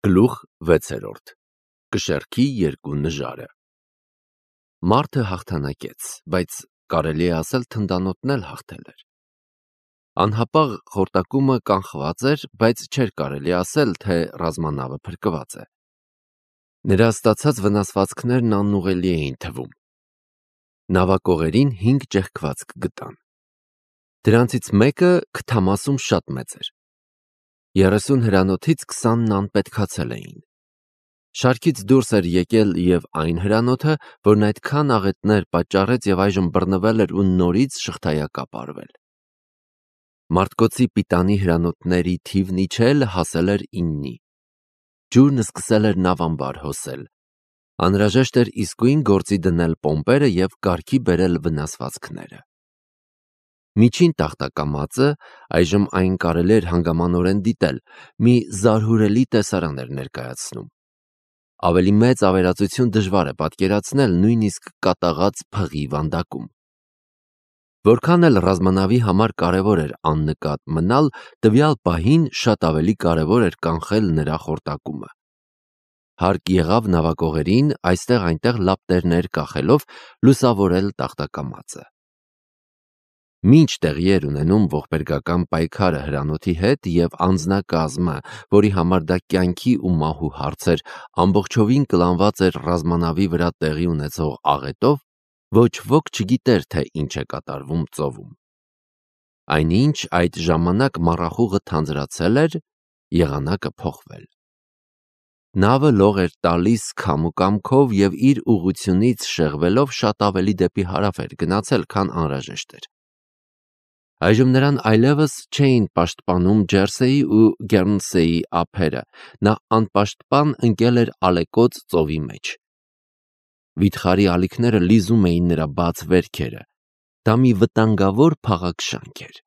Գլուխ 6. Կշեռքի երկու նժարը։ Մարդը հաղթանակեց, բայց կարելի է ասել թնդանոթն էլ հաղթել էր։ Անհապաղ խորտակումը կանխված էր, բայց չէր կարելի ասել, թե ռազմանավը փրկված է։ Նրա ստացած վնասվածքներն անուղելի էին թվում։ Նավակողերին 5 ճեղքվածք գտան։ Դրանցից մեկը քթամասում շատ մեծ էր։ 30 հրանոթից 20-ն անպետքացել էին։ Շարքից դուրս էր եկել և այն հրանոթը, որն այդքան աղետներ պատճառեց և այժմ բռնվել էր ու նորից շղթայակապ արվել։ Մարդկոցի պիտանի հրանոթների թիվն իջել հասել էր 9-ի։ Ջուրն սկսել էր նավամբար հոսել։ Անհրաժեշտ էր իսկույն գործի դնել պոմպերը և կարգի բերել վնասվածքները։ Միջին տախտակամածը, այժմ այն կարելի էր հանգամանորեն դիտել, մի զարհուրելի տեսարան էր ներկայացնում։ Ավելի մեծ ավերածություն դժվար է պատկերացնել նույնիսկ կատաղած փղի վանդակում։ Որքան էլ ռազմանավի համար կարևոր էր աննկատ մնալ, տվյալ պահին շատ ավելի կարևոր էր կանխել նրա խորտակումը։ Հարկ եղավ նավակողերին այստեղ-այնտեղ լապտերներ կախելով լուսավորել տախտակամածը։ Մինչ տեղի էր ունենում ողբերգական պայքարը հրանոթի հետ և անձնակազմը, որի համար դա կյանքի ու մահու հարց էր, ամբողջովին կլանված էր ռազմանավի վրա տեղի ունեցող աղետով, ոչ ոք չգիտեր, թե ինչ է կատարվում ծովում։ Այնինչ այդ ժամանակ մառախուղը թանձրացել էր, եղանակը փոխվել։ Նավը լող էր տալիս քամու կամքով և իր ուղղությունից շեղվելով շատ ավելի դեպի հարավ էր գնացել, քան անհրաժեշտ էր։ Այժմ նրան այլևս չէին պաշտպանում Ջերսեի ու Գերնսեի ափերը, նա անպաշտպան ընկել էր ալեկոծ ծովի մեջ։ Վիթխարի ալիքները լիզում էին նրա բաց վերքերը, դա մի վտանգավոր փաղաքշանք էր։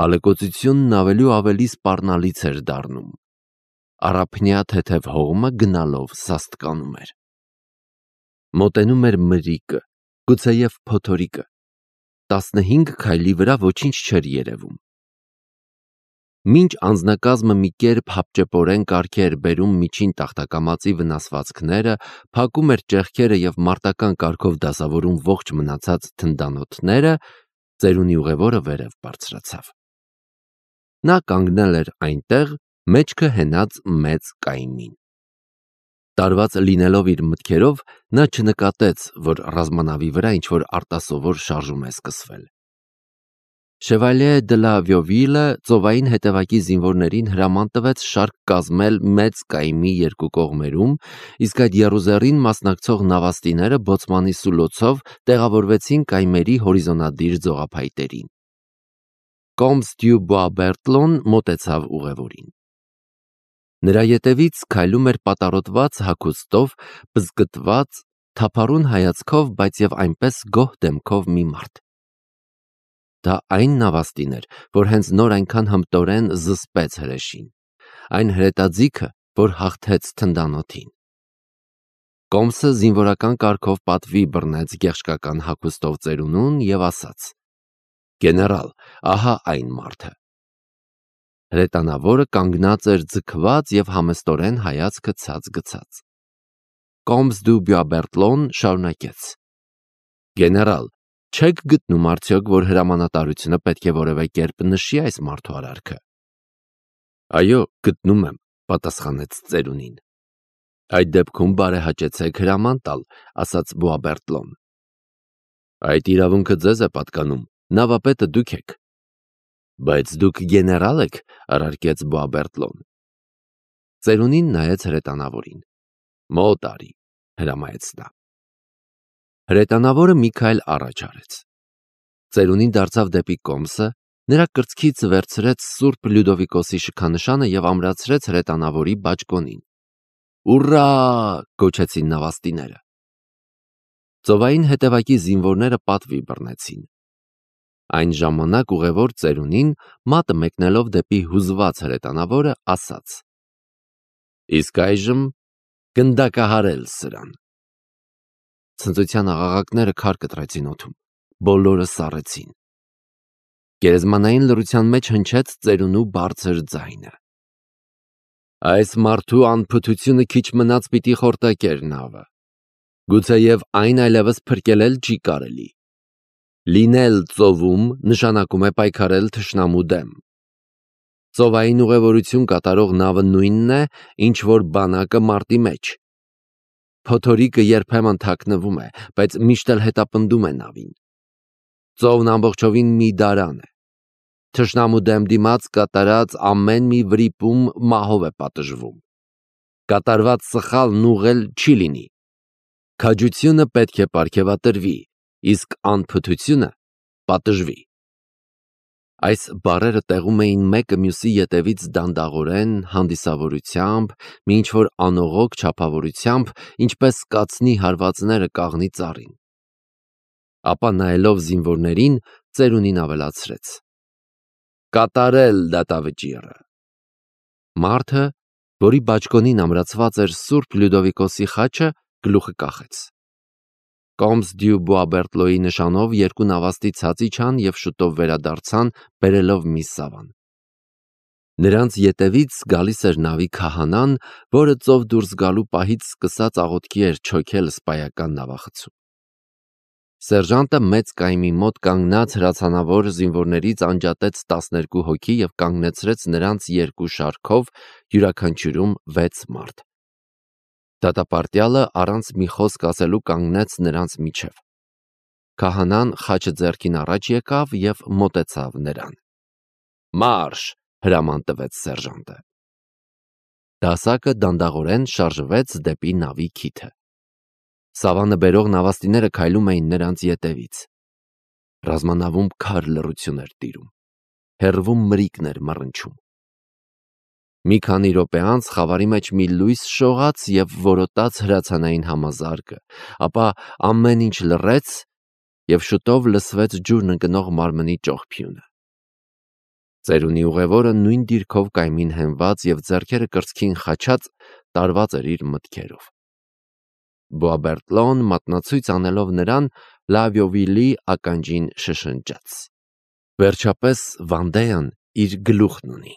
Ալեկոծությունն ավելի ու ավելի սպառնալից էր դառնում։ Առափնյա թեթև հողմը գնալով սաստկանում էր։ Մոտենում էր մրրիկը, գուցեև փոթորիկը։ 15 քայլի վրա ոչինչ չէր երևում։ Մինչ անձնակազմը մի կերպ հապճեպորեն կարգի էր բերում միջին տախտակամածի վնասվածքները, փակում էր ճեղքերը և մարտական կարգով դասավորում ողջ մնացած թնդանոթները, ծերունի ուղևորը վերև բարձրացավ։ Նա կանգնել էր այնտեղ, մեջքը հենած մեծ կայմին։ Տարված լինելով իր մտքերով, նա չնկատեց, որ ռազմանավի վրա ինչ-որ արտասովոր շարժում է սկսվել։ Շևալյե դը լա Վյովիլը ծովային հետևակի զինվորներին հրաման տվեց շարք կազմել մեծ կայմի երկու կողմերում, իսկ այդ եռուզեռին մասնակցող նավաստիները բոցմանի սուլոցով տեղավորվեցին կայմերի հորիզոնադիր ձողափայտերին։ Կոմս դյու Բուաբերտլոն մոտեցավ ուղևորին։ Նրա ետևից քայլում էր պատառոտված հագուստով, պզկտված, թափառուն հայացքով, բայց և այնպես գոհ դեմքով մի մարդ։ Դա այն նավաստին էր, որ հենց նոր այնքան հմտորեն զսպեց հրեշին, այն հրետաձիգը, որ հաղթեց թնդանոթին։ Կոմսը զինվորական կարգով պատվի բռնեց գեղշկական հագուստով ծերունուն և ասաց. «Գեներալ, ահա այն մարդը»։ Հրետանավորը կանգնած էր ձգված և համեստորեն հայացքը ցած գցած։ Կոմս դու Բյուաբերտլոն շարունակեց. «Գեներալ, չեք գտնում արդյոք, որ հրամանատարությունը պետք է որևէ կերպ նշի այս մարդու արարքը»։ «Այո, գտնում եմ», պատասխանեց ծերունին։ «Այդ դեպքում բարեհաճեցեք հրաման տալ», ասաց Բուաբերտլոն։ «Այդ իրավունքը ձեզ է պատկանում, նավապետը դուք եք»։ «Բայց դուք գեներալ եք», առարկեց Բուաբերտլոն։ Ծերունին նայեց հրետանավորին։ «Մոտ արի», հրամայեց նա։ Հրետանավորը մի քայլ առաջ արեց։ Ծերունին դարձավ դեպի Կոմսը, նրա կրծքից վերցրեց Սուրբ Լյուդովիկոսի շքանշանը և ամրացրեց հրետանավորի բաճկոնին։ «Ուռա!» գոչեցին նավաստիները։ Ծովային հետևակի զինվորները պատվի բռնեցին։ Այն ժամանակ ուղևոր ծերունին, մատը մեկնելով դեպի հուզված հրետանավորը, ասաց. «Իսկ այժմ գնդակահարել սրան»։ Ցնծության աղաղակները քար կտրեցին օդում, բոլորը սառեցին։ Գերեզմանային լռության մեջ հնչեց ծերունու բարձր ձայնը. Այս մարդու անփութությունը քիչ մնաց պիտի խորտակեր նավը, գուցեև այն այլևս փրկել էլ չի կարելի։ Լինել ծովում նշանակում է պայքարել թշնամու դեմ։ Ծովային ուղևորություն կատարող նավը նույնն է, ինչ որ բանակը մարտի մեջ։ Փոթորիկը երբեմն թաքնվում է, բայց միշտ էլ հետապնդում է նավին։ Ծովն ամբողջովին մի դարան է։ Թշնամու դեմ դիմաց կատարած ամեն մի վրիպում մահով է պատժվում։ Կատարված սխալն ուղղել չի լինի։ Քաջությունը պետք է պարգևատրվի, իսկ անփութությունը պատժվի։ Այս բառերը տեղում էին մեկը մյուսի ետևից դանդաղորեն, հանդիսավորությամբ, մի ինչ-որ անողոք չափավորությամբ, ինչպես կացնի հարվածները կաղնի ծառին։ Ապա նայելով զինվորներին, ծերունին ավելացրեց. «Կատարել դատավճիռը»։ Մարդը, որի բաճկոնին ամրացված էր Սուրբ Լյուդովիկոսի խաչը, գլուխը կախեց։ Կոմս դյու Բուաբերտլոյի նշանով երկու նավաստի ցած իջան և շուտով վերադարձան, բերելով մի սավան։ Նրանց ետևից գալիս էր նավի քահանան, որը ծով դուրս գալու պահից սկսած աղոթքի էր չոքել սպայական նավախցում։ Սերժանտը մեծ կայմի մոտ կանգնած հրացանավոր զինվորներից անջատեց 12 հոգի և կանգնեցրեց նրանց երկու շարքով, յուրաքանչյուրում 6 մարդ։ Դատապարտյալը առանց մի խոսք ասելու կանգնեց նրանց միջև։ Քահանան խաչը ձեռքին առաջ եկավ և մոտեցավ նրան։ «Մարշ», հրաման տվեց սերժանտը։ Դասակը դանդաղորեն շարժվեց դեպի նավի քիթը։ Սավանը բերող նավաստիները քայլում էին նրանց ետևից։ Ռազմանավում քար լռություն էր տիրում։ Հեռվում մրիկն էր մռնչում։ Մի քանի րոպե անց խավարի մեջ մի լույս շողաց և որոտաց հրացանային համազարգը, ապա ամեն ինչ լռեց և շուտով լսվեց ջուրն ընկնող մարմնի ճողփյունը։ Ծերունի ուղևորը նույն դիրքով կայմին հենված և ձեռքերը կրծքին խաչած տարված էր իր մտքերով։ Բուաբերտլոն մատնացույց անելով նրան Լավիովիլի ականջին շշնջաց. «Վերջապես Վանդեան իր գլուխն ունի»։